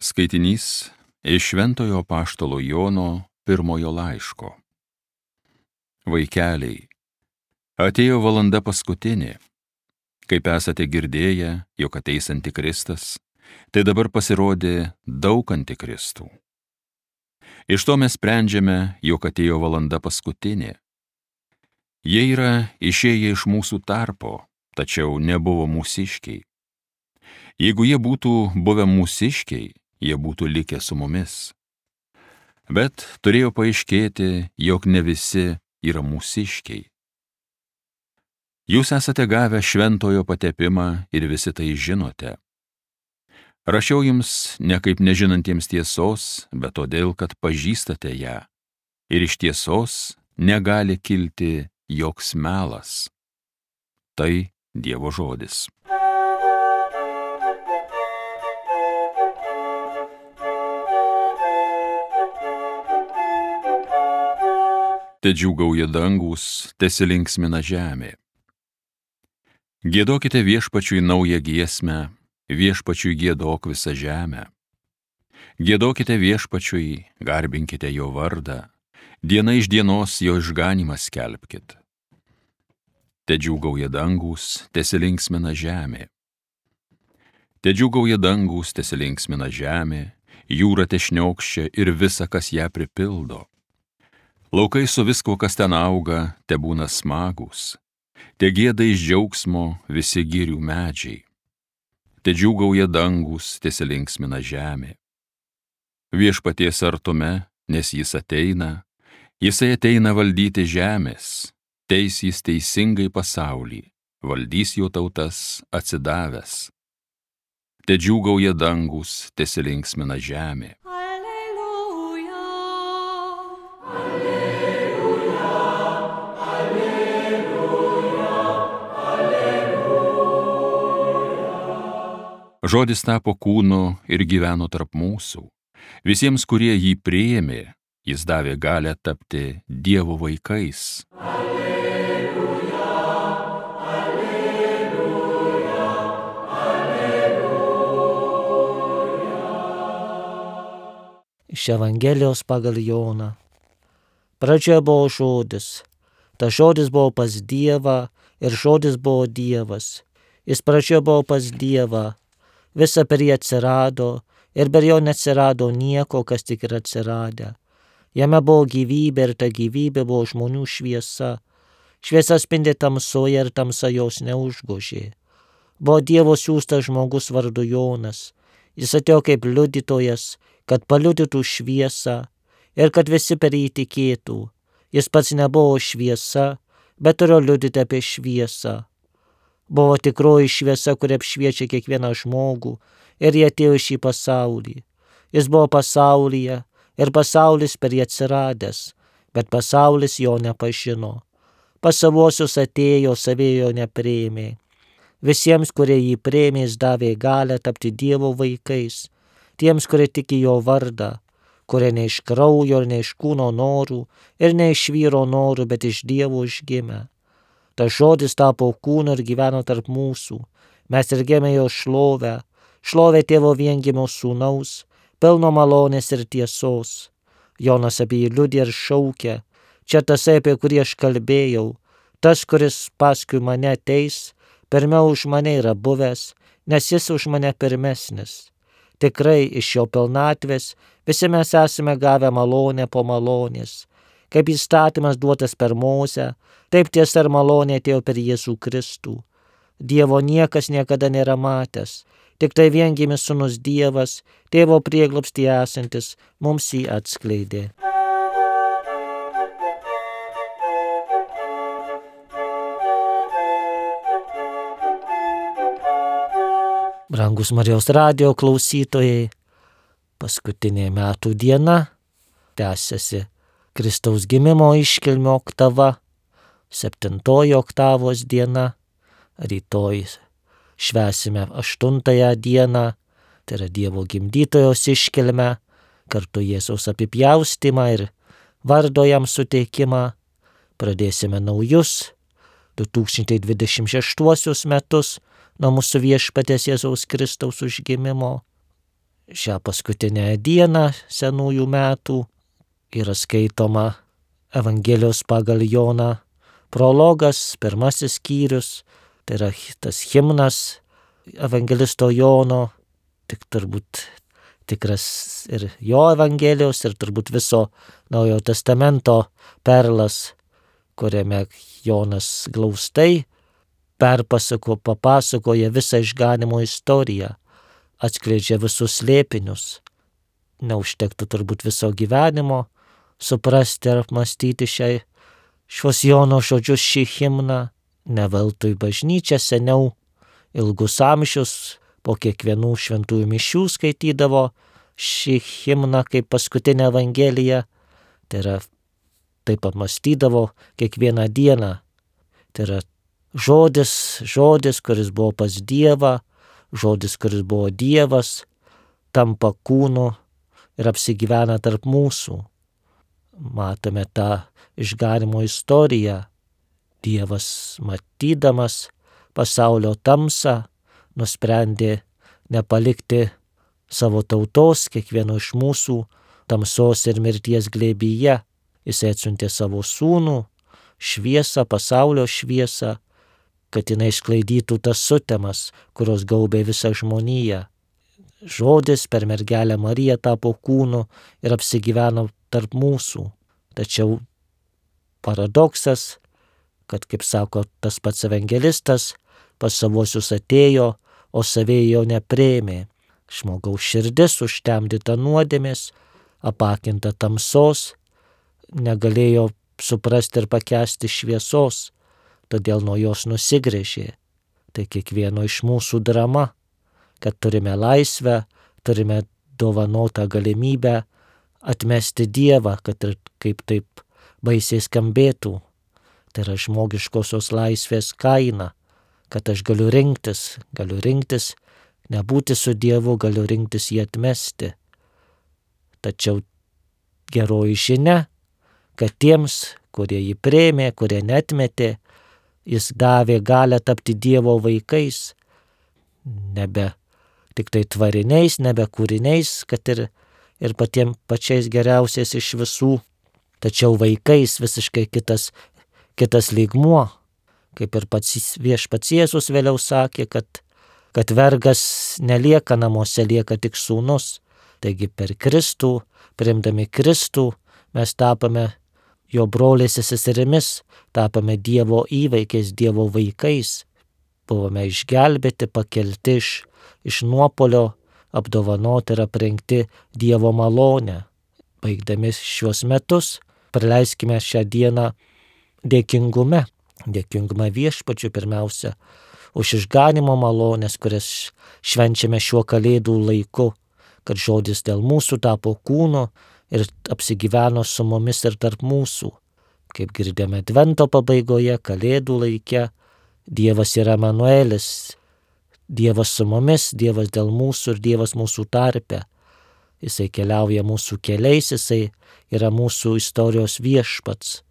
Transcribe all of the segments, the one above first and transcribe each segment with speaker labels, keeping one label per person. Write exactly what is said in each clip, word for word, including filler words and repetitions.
Speaker 1: Skaitinys iš Šventojo Apaštalo Jono pirmojo laiško. Vaikeliai, atėjo valanda paskutinė. Kaip esate girdėję, jog ateis Antikristas, tai dabar pasirodė daug antikristų. Iš to mes sprendžiame, jog atėjo valanda paskutinė. Jie yra išėję iš mūsų tarpo, tačiau nebuvo mūsiškiai. Jeigu jie būtų buvę mūsiškiai, jie būtų likę su mumis. Bet turėjo paaiškėti, jog ne visi yra mūsiškiai. Jūs esate gavę šventojo patepimą ir visi tai žinote. Rašiau jums ne kaip nežinantiems tiesos, bet todėl, kad pažįstate ją. Ir iš tiesos negali kilti joks melas. Tai Dievo žodis. Tedžiūgauja dangus, tesilinksmina žemė. Giedokite viešpačiui naują giesmę, viešpačiui giedok visą žemę. Giedokite viešpačiui, garbinkite jo vardą, diena iš dienos jo išganymą skelbkit. Tedžiūgauja dangus, tesilinksmina žemė. Tedžiūgauja dangus, tesilinksmina žemė, jūra tešniokščia ir visa, kas ją pripildo. Laukai su viskuo, kas ten auga, tebūna smagūs. Te gieda iš džiaugsmo visi girių medžiai. Te džiūgauja dangus, tesilinksmina žemė. Viešpaties artume, nes jis ateina, jisai ateina valdyti žemės, teis jis teisingai pasaulį, valdys jo tautas atsidavęs. Te džiūgauja dangus, tesilinksmina žemė. Žodis tapo kūnu ir gyveno tarp mūsų. Visiems, kurie jį priėmė, jis davė galią tapti Dievo vaikais. Alleluja, alleluja, alleluja.
Speaker 2: Iš Evangelijos pagal Joną. Pradžioje buvo žodis. Tas žodis buvo pas Dievą ir žodis buvo Dievas. Jis pradžioje buvo pas Dievą. Visa per jį atsirado ir per jo neatsirado nieko, kas tik yra atsiradę. Jame buvo gyvybė ir ta gyvybė buvo žmonių šviesa. Šviesa spindi tamsoje ir tamsa jos neužgožė. Buvo Dievo siųstas žmogus vardu Jonas. Jis atėjo kaip liudytojas, kad paliudytų šviesą ir kad visi per jį tikėtų. Jis pats nebuvo šviesa, bet turėjo liudyti apie šviesą. Buvo tikroji šviesa, kuri apšviečia kiekvieną žmogų, ir jie atėjo į šį pasaulį. Jis buvo pasaulyje ir pasaulis per jį atsiradęs, bet pasaulis jo nepažino. Pas savuosius atėjo, savėjo nepriėmė. Visiems, kurie jį priėmė, jis davė galią tapti Dievo vaikais, tiems, kurie tiki jo vardą, kurie ne iš kraujo ir ne iš kūno norų ir ne iš vyro norų, bet iš Dievo užgimę. Tas žodis tapo kūnu ir gyveno tarp mūsų. Mes regėjome jo šlovę, šlovę tėvo viengimio sūnaus, pilno malonės ir tiesos. Jonas apie jį liudija ir šaukia. Čia tasai, apie kurį aš kalbėjau, tas, kuris paskui mane ateis, pirmiau už mane yra buvęs, nes jis už mane pirmesnis. Tikrai iš jo pilnatvės visi mes esame gavę malonę po malonės. Kaip įstatymas duotas per Mozę, taip tiesa ir malonė atėjo per Jėzų Kristų. Dievo niekas niekada nėra matęs, tik tai viengimis sūnus Dievas, tėvo prieglobstyje esantis, mums jį atskleidė. Brangus Marijos radijo klausytojai, paskutinė metų diena tęsiasi Kristaus gimimo iškilmio oktava, septintoji oktavos diena, rytoj švęsime aštuntąją dieną, tai yra Dievo gimdytojos iškilmę, kartu Jėzaus apipjaustymą ir vardo jam suteikimą. Pradėsime naujus du tūkstančiai dvidešimt šeštuosius metus nuo mūsų viešpaties Jėzaus Kristaus užgimimo. šią paskutinę dieną senųjų metų yra skaitoma Evangelijos pagal Joną prologas, pirmasis skyrius, tai yra tas himnas evangelisto Jono, tik turbūt tikras ir jo Evangelijos ir turbūt viso Naujojo testamento perlas, kuriame Jonas glaustai perpasako, papasakoja visą išganimo istoriją, atskleidžia visus slėpinius. Neužtektų turbūt viso gyvenimo suprasti ar apmastyti šiai, šios Jono žodžius, šį himną. Ne veltui bažnyčia seniau ilgus amžius po kiekvienų šventųjų mišių skaitydavo šį himną kaip paskutinę Evangeliją. Tai yra, taip apmastydavo kiekvieną dieną. Tai yra žodis, žodis, kuris buvo pas Dievą, žodis, kuris buvo Dievas, tampa kūnu ir apsigyvena tarp mūsų. Matome tą išganimo istoriją. Dievas, matydamas pasaulio tamsą, nusprendė nepalikti savo tautos, kiekvieno iš mūsų, tamsos ir mirties glėbyje. Jis atsiuntė savo sūnų, šviesą, pasaulio šviesą, kad jinai išsklaidytų tas sutemas, kurios gaubė visą žmoniją. Žodis per mergelę Mariją tapo kūnu ir apsigyveno tarp mūsų. Tačiau paradoksas, kad, kaip sako tas pats evangelistas, pas savuosius atėjo, o savieji jo nepriėmė. Žmogaus širdis užtemdyta nuodėmės, apakinta tamsos, negalėjo suprasti ir pakęsti šviesos, todėl nuo jos nusigręžė. Tai kiekvieno iš mūsų drama, kad turime laisvę, turime dovanotą galimybę atmesti Dievą, kad ir kaip taip baisiai skambėtų. Tai yra žmogiškosios laisvės kaina, kad aš galiu rinktis, galiu rinktis nebūti su Dievu, galiu rinktis jį atmesti. Tačiau geroji žinia, kad tiems, kurie jį priėmė, kurie neatmetė, jis davė galią tapti Dievo vaikais, nebe tik tai tvariniais, nebe kūriniais, kad ir, ir patiem pačiais geriausiais iš visų, tačiau vaikais visiškai kitas, kitas lygmuo, kaip ir pats viešpats Jėzus vėliau sakė, kad, kad vergas nelieka namuose, lieka tik sūnus. Taigi per Kristų, priimdami Kristų, mes tapame jo broliais ir seserimis, tapame Dievo įvaikiais, Dievo vaikais. Buvome išgelbėti, pakelti iš, iš nuopolio, apdovanoti ir aprengti Dievo malonę. Baigdami šiuos metus, praleiskime šią dieną dėkingume, dėkingumą viešpačiui pirmiausia, už išganimo malonės, kurias švenčiame šiuo kalėdų laiku, kad žodis dėl mūsų tapo kūnu ir apsigyveno su mumis ir tarp mūsų. Kaip girdėjome advento pabaigoje, kalėdų laike, Dievas yra Emanuelis, Dievas su mumis, Dievas dėl mūsų ir Dievas mūsų tarpe. Jisai keliauja mūsų keliais, jisai yra mūsų istorijos viešpats.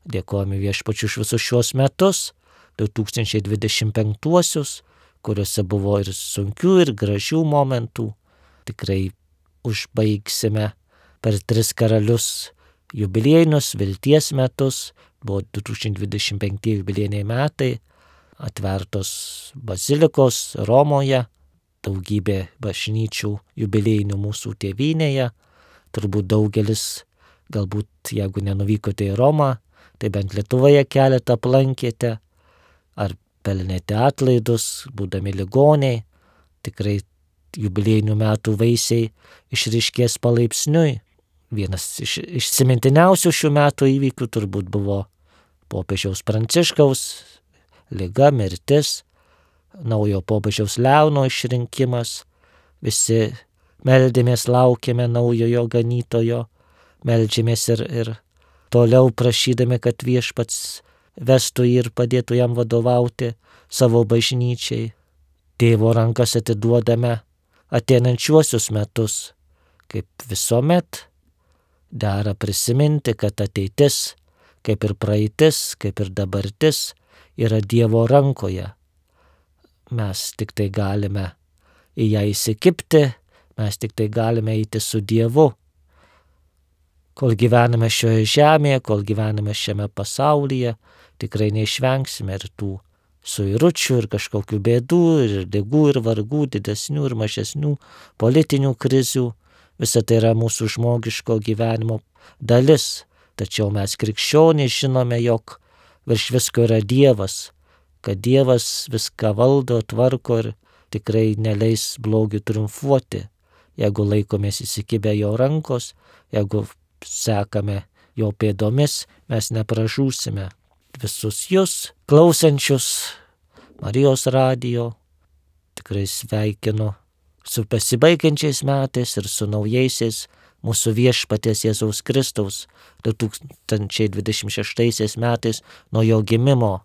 Speaker 2: Dėkojame viešpačiu už visus šiuos metus, du tūkstančiai dvidešimt penktuosius, kuriuose buvo ir sunkių, ir gražių momentų. Tikrai užbaigsime per tris karalius jubiliejinius vilties metus, buvo du tūkstančiai dvidešimt penkti jubiliejiniai metai, atvertos bazilikos Romoje, daugybė bažnyčių jubiliejinių mūsų tėvynėje, turbūt daugelis, galbūt jeigu nenuvykote į Romą, tai bent Lietuvoje keletą aplankėte, ar pelnėte atlaidus, būdami ligoniai, tikrai jubiliejinių metų vaisiai išryškės palaipsniui. Vienas iš išsimintiniausių šių metų įvykių turbūt buvo popiežiaus Pranciškaus liga, mirtis, naujo popiežiaus Leono išrinkimas. Visi meldėmės, laukėme naujojo ganytojo, meldžiamės ir, ir toliau prašydami, kad viešpats vestų jį ir padėtų jam vadovauti savo bažnyčiai. Tėvo rankas atiduodame ateinančiuosius metus, kaip visuomet. Dera prisiminti, kad ateitis, kaip ir praeitis, kaip ir dabartis, yra Dievo rankoje. Mes tik tai galime į ją įsikibti, Mes tik tai galime eiti su Dievu. Kol gyvename šioje žemėje, kol gyvename šiame pasaulyje, tikrai neišvengsime ir tų suiručių, ir kažkokių bėdų, ir ligų, ir vargų, didesnių ir mažesnių, politinių krizių. Visa tai yra mūsų žmogiško gyvenimo dalis. Tačiau mes krikščionys žinome, jog virš visko yra Dievas, kad Dievas viską valdo, tvarko ir tikrai neleis blogiui triumfuoti. Jeigu laikomės įsikibę jo rankos, jeigu sekame jo pėdomis, mes nepražūsime. Visus jūs, klausančius Marijos radijo, tikrai sveikinu su pasibaigiančiais metais ir su naujaisiais mūsų viešpaties Jėzaus Kristaus du tūkstančiai dvidešimt šeštaisiais metais nuo jo gimimo.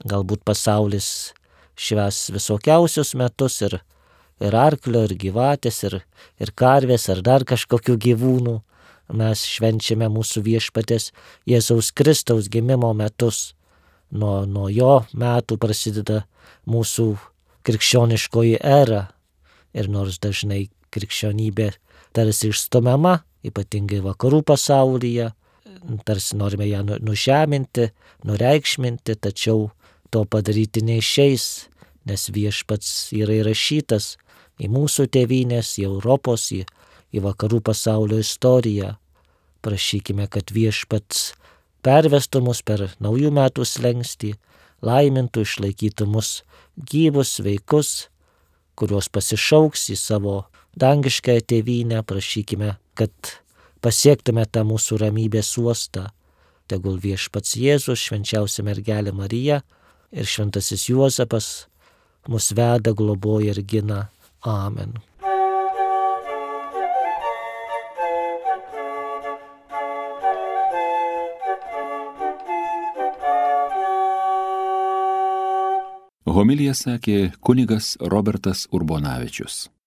Speaker 2: Galbūt pasaulis švęs visokiausius metus ir, ir arklio, ir gyvatės, ir, ir karvės, ar dar kažkokių gyvūnų. Mes švenčiame mūsų viešpaties Jėzaus Kristaus gimimo metus. Nuo, nuo jo metų prasideda mūsų krikščioniškoji era. Ir nors dažnai krikščionybė tarsi išstumiama, ypatingai vakarų pasaulyje, tarsi norime ją nužeminti, nureikšminti, tačiau to padaryti neišeis, nes viešpats yra įrašytas į mūsų tėvynės, į Europos, į, į vakarų pasaulio istoriją. Prašykime, kad viešpats pervestų mus per naujų metų slenkstį, laimintų, išlaikytų mus gyvus, sveikus, kuriuos pasišauks į savo dangiškąją tėvynę. Prašykime, kad pasiektume tą mūsų ramybės uostą. Tegul viešpats Jėzus, švenčiausia mergelė Marija ir šventasis Juozapas mus veda, globoja ir gina. Amen.
Speaker 1: Homiliją sakė kunigas Robertas Urbonavičius.